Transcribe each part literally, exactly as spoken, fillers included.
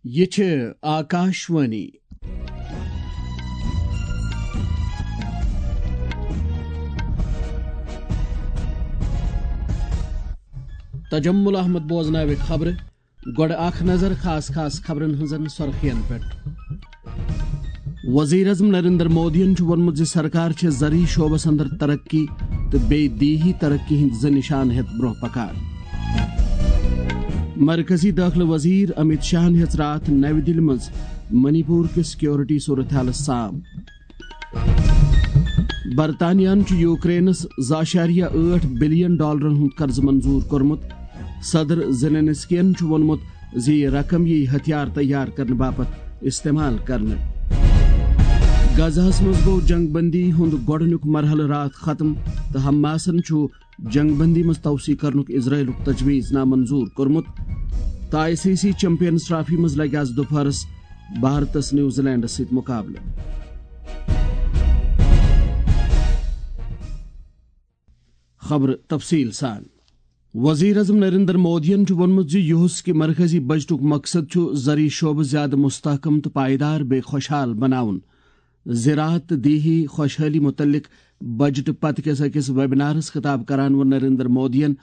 یہِ چھِ آکاشوانی۔ تجمل احمد بوزناوِ خبرٕ۔ گۄڈٕ اکھ نظر خاص خاص خبرن ہٕنٛزن سرخین پٮ۪ٹھ۔ وزیر اعظم نریندر مودیَن چھُ ووٚنمُت زِ سرکار چھےٚ زرعی شعبس اندر ترقی تہٕ بیٚیہِ دیہی ترقی ہٕنٛدۍ زٕ نشان ہٮ۪تھ برٛونٛہہ پکان۔ مرکزی دٲخلہٕ وزیر امیت شاہن ہیٚژ راتھ نَوِ دِلہِ منٛز منی پور کِس سیکورٹی صورتحالس سام۔ برطانیہن چھُ یوکرینس زٕ اعشاریہ ٲٹھ بلین ڈالرن ہُنٛد قرضہٕ منظور کوٚرمُت۔ صدر زیلنسکین چھُ ووٚنمُت زِ یہِ رقم یِیہِ ہتھیار تیار کرنہٕ باپتھ استعمال کرنہٕ۔ غزہس منٛز گوٚو جنگ بندی ہُنٛد گۄڈٕنیُک مرحلہٕ راتھ ختم تہٕ حماسن چھُ جنگ بندی منٛز توسیع کرنُک اسرائیلُک تجویز نامنظور کوٚرمُت۔ تہٕ I C C champions trophy منٛز لگہِ آز دُپہرس بھارتس نیوزی لینڈس سۭتۍ مقابلہٕ۔ خبرٕ تفصیل سان۔ وزیر اعظم نریندر مودیَن چھُ ووٚنمُت زِ یُہُس کہِ مرکزی بجٹُک مقصد چھُ زرعی شعبہٕ زیادٕ مستحکم تہٕ پائیدار بیٚیہِ خوشحال بناوُن۔ زراعت تہٕ دیہی خوشحالی متعلق بجٹ پتہٕ کِس أکِس ویبنارس خطاب کران ووٚن نریندر مودیَن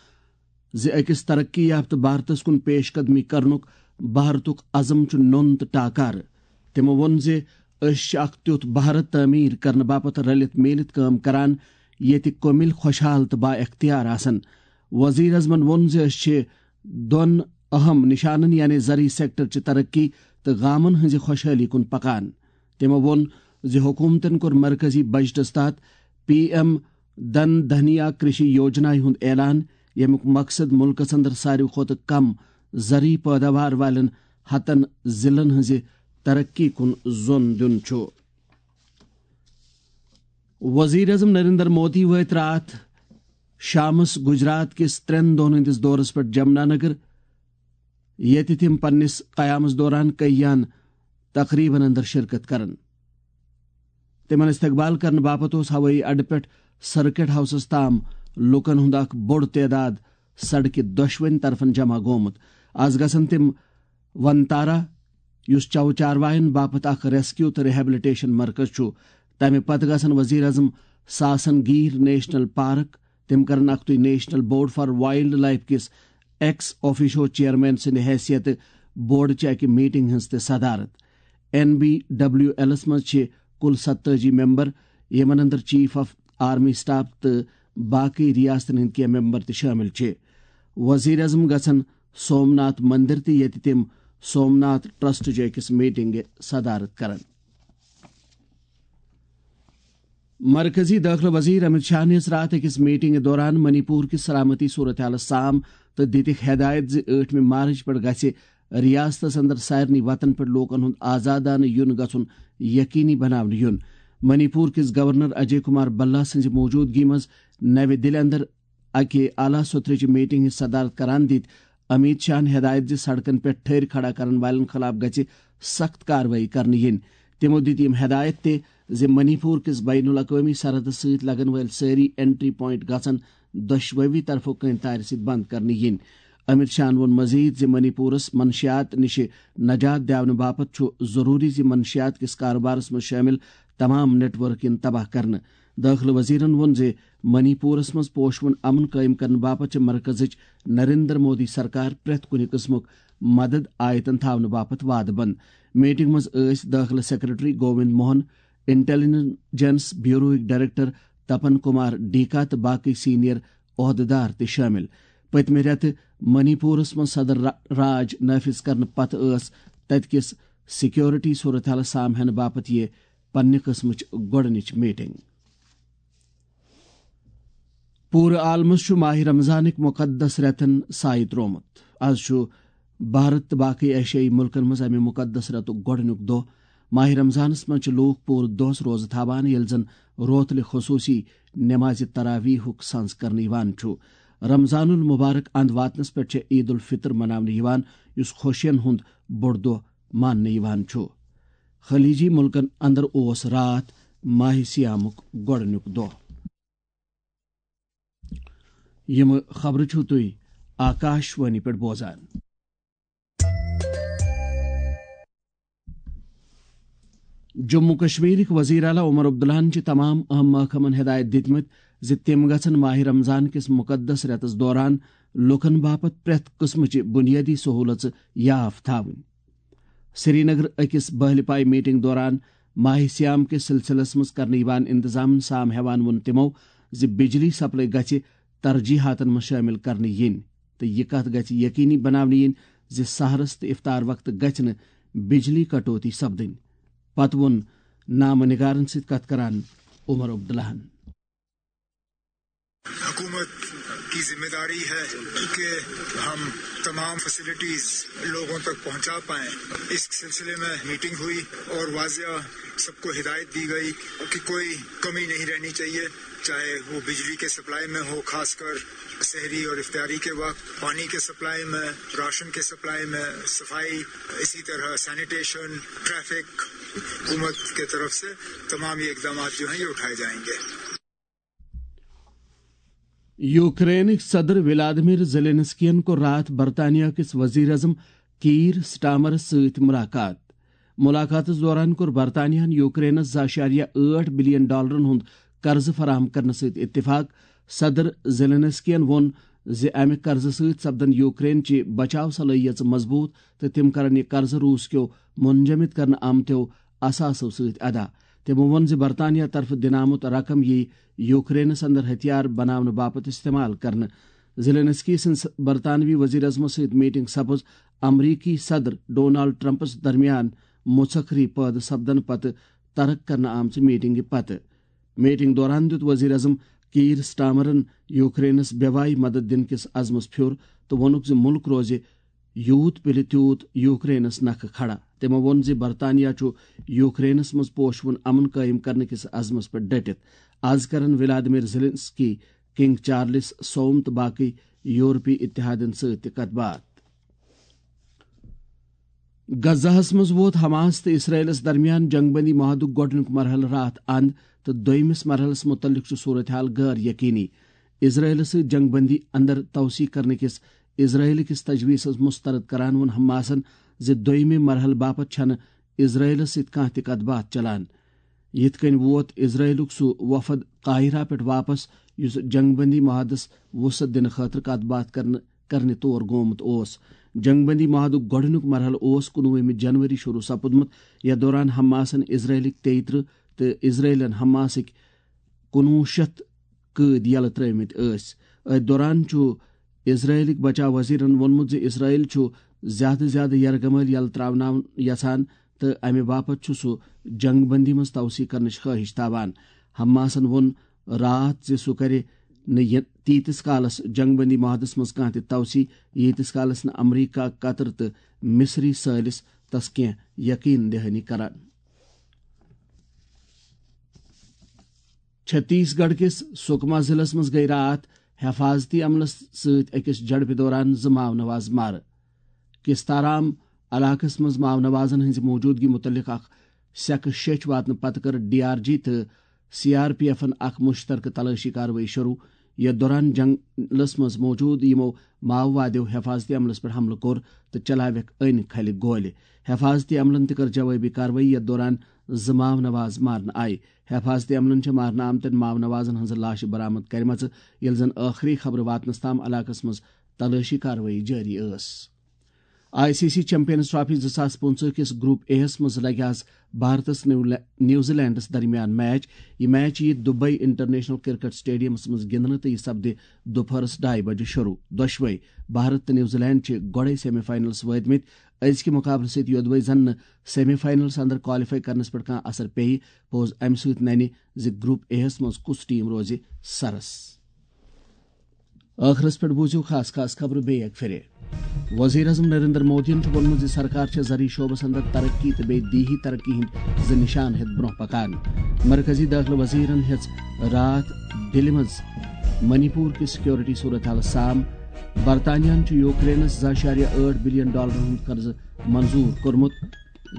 زِ أکِس ترقی یافتہٕ بھارتس کُن پیش قدمی کرنُک بھارتُک عزم چھُ نوٚن تہٕ ٹاکارٕ۔ تِمو ووٚن زِ أسۍ چھِ اکھ تیُتھ بھارت تعمیٖر کرنہٕ باپتھ رلِتھ میٖلِتھ کٲم کران، ییٚتہِ کٔمِلۍ خۄشحال تہٕ با اختیار آسن۔ وزیر اعظمن ووٚن زِ أسۍ چھِ دۄن اہم نشانن یعنی زرعی سیکٹر چہِ ترقی تہٕ گامن ہٕنٛزِ خۄشحٲلی کُن پکان۔ تِمو ووٚن زِ حکوٗمتن کوٚر مرکزی بجٹس تحت پی ایم دھن دھنیا کرشی یوجنایہِ ہُنٛد اعلان، ییٚمیُک مقصد مُلکس اندر ساروی کھۄتہٕ کم زرعی پٲداوار والٮ۪ن ہتن ضلعن ہٕنٛزِ ترقی کُن زون دیُن چھُ۔ وزیر اعظم نریندر مودی وٲتۍ راتھ شامس گجرات کِس ترٛٮ۪ن دۄہن ہٕنٛدِس دورس پٮ۪ٹھ جمنا نگر، ییٚتہِ تِم پننِس قیامس دوران کئیان تقریبن اندر شرکت کرن۔ تِمن استقبال کرنہٕ باپتھ اوس ہوٲیی اڈٕ پٮ۪ٹھ سرکٹ ہاؤسس تام لوٗکن ہُنٛد اکھ بوٚڑ تعداد سڑکہِ دۄشوٕنی طرفن جمع گوٚمُت۔ از گژھن تِم ونتارا، یُس چو چارواین باپتھ اکھ ریسکیو تہٕ ریہیبلیٹیشن مرکز چھُ۔ تمہِ پتہٕ گژھن وزیر اعظم ساسن گیر نیشنل پارک۔ تِم کرن اکھتُے نیشنل بورڈ فار وائلڈ لائف کِس ایکس آفیشو چیئرمین سٕنٛدِ حیثیتہٕ بورڈ چہِ اکہِ میٹنگ ہٕنٛز تہِ صدارت۔ این بی ڈبلیو ایلس منٛز چھِ کُل ستٲجی ممبر، یِمن اندر چیف آف آرمی سٹاف تہٕ باقی ریاستن ہٕنٛدۍ کینٛہہ ممبر تہِ شٲمِل چھِ۔ وزیر اعظم گژھن سومناتھ مندر تہِ، ییٚتہِ تِم سومناتھ ٹرسٹ چہِ أکِس میٹنگہِ صدارت کرن۔ مرکزی دٲخلہٕ وزیر امت شاہن ہیٚژ راتھ أکِس میٹنگہِ دوران منی پور کِس سلامتی صورتحالس سام تہٕ دِتِکھ ہدایت زِ ٲٹھمہِ مارچ پٮ۪ٹھ گژھِ ریاستس اندر سارنٕے وتن پٮ۪ٹھ لوٗکن ہُنٛد آزادانہٕ یُن گژھُن یقینی بناونہٕ یُن۔ منی پور کِس گورنر اجے کمار بھلا سٕنٛزِ موجودگی منٛز نَوِ دِلہِ اندر اکہِ اعلیٰ سطحٕچہِ میٹنگ ہٕنٛز صدارت کران دِتۍ امیت شاہن ہدایت زِ سڑکن پٮ۪ٹھ ٹھٔرۍ کھڑا کرن والٮ۪ن خلاف گژھِ سخت کاروٲیی کرنہٕ یِنۍ۔ تِمو دِتۍ یِم ہدایت تہِ زِ منی پور کِس بین الاقوٲمی سرحدس سۭتۍ لگن وٲلۍ سٲری انٹری پوائنٹ گژھن دۄشوٕے طرفو کٔنۍ تارِ سۭتۍ بند کرنہٕ یِنۍ۔ امیت شاہن ووٚن مزید زِ منی پورس منشیات نِش نجات دیاونہٕ باپتھ چھُ ضروٗری زِ منشیات کِس کاروبارس منٛز شٲمِل تمام نیٹ ورک یِن تباہ کرنہٕ۔ دٲخلہٕ وزیرن ووٚن زِ منی پورس منٛز پوشوُن امن قٲیِم کرنہٕ باپتھ چھِ مرکزٕچ نریندر مودی سرکار پرٛٮ۪تھ کُنہِ قٕسمُک مدد آیتن تھاونہٕ باپتھ وعدٕ بنٛد۔ میٹنگ منٛز ٲسۍ دٲخلہٕ سیکرٹری گووند موہن، انٹیلیجنس بیوروہٕکۍ ڈائریکٹر تپن کمار ڈیکا تہٕ باقی سینئر عہدٕدار تہِ شٲمِل۔ پٔتمہِ رٮ۪تہٕ منی پورس منٛز صدر را-، راج نافذ کرنہٕ پتہٕ ٲس تتہِ کِس سیکورٹی صورتحالس سام ہینہٕ باپتھ یہِ پننہِ قٕسمٕچ گۄڈٕنِچ میٹنگ۔ پوٗرٕ عالمس چھُ ماہِ رمضانٕکۍ مُقدس رٮ۪تن سایہِ تروومُت۔ از چھُ بھارت تہٕ باقٕے ایشیائی مُلکن منٛز امہِ مُقدس رٮ۪تُک گۄڈٕنیُک دۄہ۔ ماہِ رمضانس منٛز چھِ لوٗکھ پوٗرٕ دۄہس روزٕ تھاوان، ییٚلہِ زن روتلہِ خصوٗصی نمازِ تراویحُک سنز کرنہٕ یِوان چھُ۔ رمضان المبارک اند واتنس پٮ۪ٹھ چھےٚ عید الفطر مناونہٕ یِوان، یُس خوشین ہُنٛد بوٚڑ دۄہ ماننہٕ یِوان چھُ۔ خلیجی مُلکن اندر اوس راتھ ماہِ صیامُک گۄڈٕنیُک دۄہ۔ یِم خبرٕ چھِو تُہۍ آکاش وانی پٮ۪ٹھ بوزان۔ جموں کشمیرٕکۍ وزیر اعلیٰ عمر عبداللہن چھِ تمام اہم محکمن ہدایت دِتمٕتۍ زِ تِم گژھن ماہ رمضان کِس مقدس رٮ۪تس دوران لوٗکن باپتھ پرٛٮ۪تھ قٕسمٕچہِ بُنیٲدی سہوٗلژٕ یاف تھاوٕنۍ۔ سرینگر أکِس بہلہِ پایہِ میٹنگ دوران ماہ صیام کِس سلسلس منٛز کرنہٕ یِوان انتظامن سام ہٮ۪وان ووٚن تِمو زِ بجلی سپلائی گژھِ ترجیحاتن منٛز شٲمِل کرنہٕ یِنۍ تہٕ یہِ کتھ گژھِ یقینی بناونہٕ یِنۍ زِ سحرس تہٕ افطار وقتہٕ گژھِ نہٕ بجلی کٹوتی سپدٕنۍ۔ پتہٕ ووٚن نامہ نگارن سۭتۍ کتھ کران عمر عبداللہن۔ حکومت کی ذمہ داری ہے کہ ہم تمام فیسلٹیز لوگوں تک پہنچا پائیں۔ اس سلسلے میں میٹنگ ہوئی اور واضح سب کو ہدایت دی گئی کہ کوئی کمی نہیں رہنی چاہیے، چاہے وہ بجلی کے سپلائی میں ہو، خاص کر سحری اور افطاری کے وقت، پانی کے سپلائی میں، راشن کے سپلائی میں، صفائی، اسی طرح سینیٹیشن، ٹریفک، حکومت کے طرف سے تمام یہ اقدامات جو ہیں یہ اٹھائے جائیں گے۔ یوکرینٕکۍ صدر ولادیمیر زیلینسکین کوٚر راتھ برطانیہ کِس وزیر اعظم کیٖر سٹارمرس سۭتۍ ملاقات۔ ملاقاتس دوران کوٚر برطانیہن یوکرینس زٕ اعشاریہ ٲٹھ بلین ڈالرن ہُنٛد قرضہٕ فراہم کرنہٕ سۭتۍ اتفاق۔ صدر زیلینسکین ووٚن زِ امہِ قرضہٕ سۭتۍ سپدن یوکرین چہِ بچاو صلٲحیژٕ مضبوٗط تہٕ تِم کرن یہِ قرضہٕ روٗس کیو منجمد کرنہٕ آمتیو اثاثو سۭتۍ ادا۔ تِمو ووٚن زِ برطانیہ طرفہٕ دِنہٕ آمُت رقم یِیہِ یوکرینس اندر ہتھیار بناونہٕ باپتھ استعمال کرنہٕ۔ زیلینسکی سٕنٛز برطانوی وزیر اعظمس سۭتۍ میٹنگ سپٕز امریکی صدر ڈونالڈ ٹرمپس درمیان مُژکری پٲدٕ سپدن پتہٕ ترک کرنہٕ آمژِ میٹنگہِ پتہٕ۔ میٹنگ دوران دیُت وزیر اعظم کیٖر سٹارمرن یوکرینس بے وایہِ مدد دِنہٕ کِس عزمس پھیُر تہٕ ووٚنُکھ زِ مُلک روزِ یوٗت پِلہِ تیوٗت یوکرینس نکھٕ کھڑا۔ تِمو ووٚن زِ برطانیہ چھُ یوکرینس منٛز پوشوُن امن قٲیِم کرنہٕ کِس عزمس پٮ۪ٹھ ڈٔٹِتھ۔ از کرن ولادیمیر زیلنسکی، کنگ چارلس سوم تہٕ باقٕے یورپی اتحادن سۭتۍ تہِ کتھ باتھ۔ غزہس منٛز ووت حماس تہٕ اسرائیلس درمیان جنگ بندی معاہدُک گۄڈٕنیُک مرحلہٕ راتھ اند تہٕ دوٚیمِس مرحلس مُتعلق چھُ صورتحال غٲر یقینی۔ اسرائیلس سۭتۍ جنگ بندی اندر توسیع کرنہٕ کِس اسرائیل کِس تجویزس مسترد کران ووٚن حماسن زِ دوٚیمہِ مرحلہٕ باپتھ چھنہٕ اسرائیلس سۭتۍ کانٛہہ تہِ کتھ باتھ چلان۔ یِتھ کٔنۍ ووت اسرائیلُک سُہ وفد قاہرہ پٮ۪ٹھ واپس یُس جنگ بندی معاہدس وسعت دِنہٕ خٲطرٕ کتھ باتھ کرنہٕ کرنہِ تور گومُت اوس۔ جنگ بندی معاہدُک گۄڈٕنیُک مرحلہٕ اوس کُنوُہمہِ جنوری شروع سپُدمُت، یتھ دوران حماسن اسرائیلٕکۍ تیٚیہِ ترٕہ تہٕ اسرائیلن حماسٕکۍ کُنوُہ شیٚتھ قٲدۍ یلہٕ ترٲومٕتۍ ٲسۍ۔ أتھۍ دوران چھُ اسرائیلٕکۍ بچاو وزیرن ووٚنمُت زِ اسرائیل چھُ زیادٕ زیادٕ یرغمال یلہٕ تراوناوُن یژھان تہٕ امہِ باپتھ چھُ سُہ جنگ بندی منٛز توسیع کرنٕچ خواہش تھاوان۔ حماسن ووٚن راتھ زِ سُہ کرِ نہٕ یہِ تیٖتِس کالس جنگ بندی معاہدس منٛز کانٛہہ تہِ توسیع، ییٖتِس کالس نہٕ امریکہ، قطر تہٕ مصری سٲلِس تس کینٛہہ یقین دہانی کران۔ چھتیس گڑھ کِس سکما ضلعس منٛز گٔیہِ راتھ حفاظتی عملس سۭتۍ أکِس جھڑپہِ دوران زٕ ماونواز مارٕ۔ کستارام علاقس منٛز ماونوازن ہٕنٛزِ موجودگی مُتعلق اکھ سیکہٕ شیٚچھ واتنہٕ پتہٕ کٔر ڈی آر جی تہٕ سی آر پی ایفن اکھ مشترکہٕ تلٲشی کاروٲیی شروع، یتھ دوران جنگلس منٛز موجود یِمو ماووادیو حفاظتی عملس پٮ۪ٹھ حملہٕ کوٚر تہٕ چلاوکھ أنۍ کھلہِ گولہِ۔ حفاظتی عملن تہِ کٔر جوابی کاروٲیی، یتھ دوران زٕ ماونواز مارنہٕ آیہِ۔ حفاظتی عملن چھِ مارنہٕ آمتٮ۪ن ماونوازن ہٕنٛزٕ لاشہِ برآمد کرِمژٕ، ییٚلہِ زن ٲخری خبرٕ واتنس تام علاقس منٛز تلٲشی کاروٲیی جٲری ٲس۔ I C C champions trophy زٕ ساس پٕنٛژٕہ کِس گروپ اے یَس منٛز لگہِ آز بھارتس نیو-، نیوزی لینڈس درمیان میچ۔ یہِ میچ یِیہِ دبئی انٹرنیشنل کرکٹ سٹیڈیمس منٛز گِنٛدنہٕ تہٕ یہِ سپدِ دُپہرس ڈاے بجہِ شروع۔ دۄشوے بھارت تہٕ نیوزی لینڈ چھِ گۄڈے سیمی فائنلس وٲتمٕتۍ۔ أزکہِ مقابلہٕ سۭتۍ یودوے زن نہٕ سیمی فائنلس اندر کوالیفائی کرنس پٮ۪ٹھ کانٛہہ اثر پیٚیہِ، پوٚز امہِ سۭتۍ ننہِ زِ گروپ اے یَس منٛز کُس ٹیم روزِ سرس۔ ٲخرس پٮ۪ٹھ بوٗزِو خاص خاص خبرٕ بیٚیہِ اکہِ پھِرِ۔ وزیر اعظم نریندر مودیَن چھُ ووٚنمُت زِ سرکار چھےٚ زرعی شعبس اندر ترقی تہٕ بیٚیہِ دیہی ترقی ہٕنٛدۍ زٕ نشان ہٮ۪تھ برٛونٛہہ پکان۔ مرکزی دٲخلہٕ وزیرن ہیٚژ راتھ دِلہِ منٛز منی پور کہِ سیکورٹی صورت حالس سام۔ برطانیہن چھُ یوکرینس زٕ اعشاریہ ٲٹھ بلین ڈالرن ہُنٛد قرضہٕ منظور کوٚرمُت۔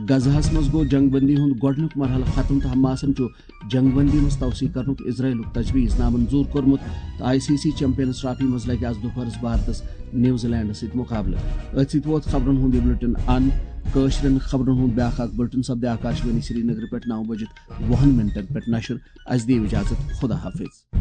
غزہس منٛز گوٚو جنگ بندی ہُنٛد گۄڈٕنیُک مرحلہٕ ختم تہٕ حماسن چھُ جنگ بندی منٛز توسیع کرنُک اسرائیلُک تجویز نامنظور کوٚرمُت تہٕ I C C champions trophy منٛز لگہِ آز دُپہرس بھارتس نیوزی لینڈس سۭتۍ مقابلہٕ۔ أتھۍ سۭتۍ ووت خبرن ہُنٛد یہِ بلیٹن اند۔ کٲشرٮ۪ن خبرن ہُنٛد بیٛاکھ اکھ بُلٹن سپدِ آکاشوانی سرینگرٕ پٮ۪ٹھ نو بجہِ وُہن منٹن پٮ۪ٹھ نشر۔ اسہِ دِیِو اجازت، خدا حافظ۔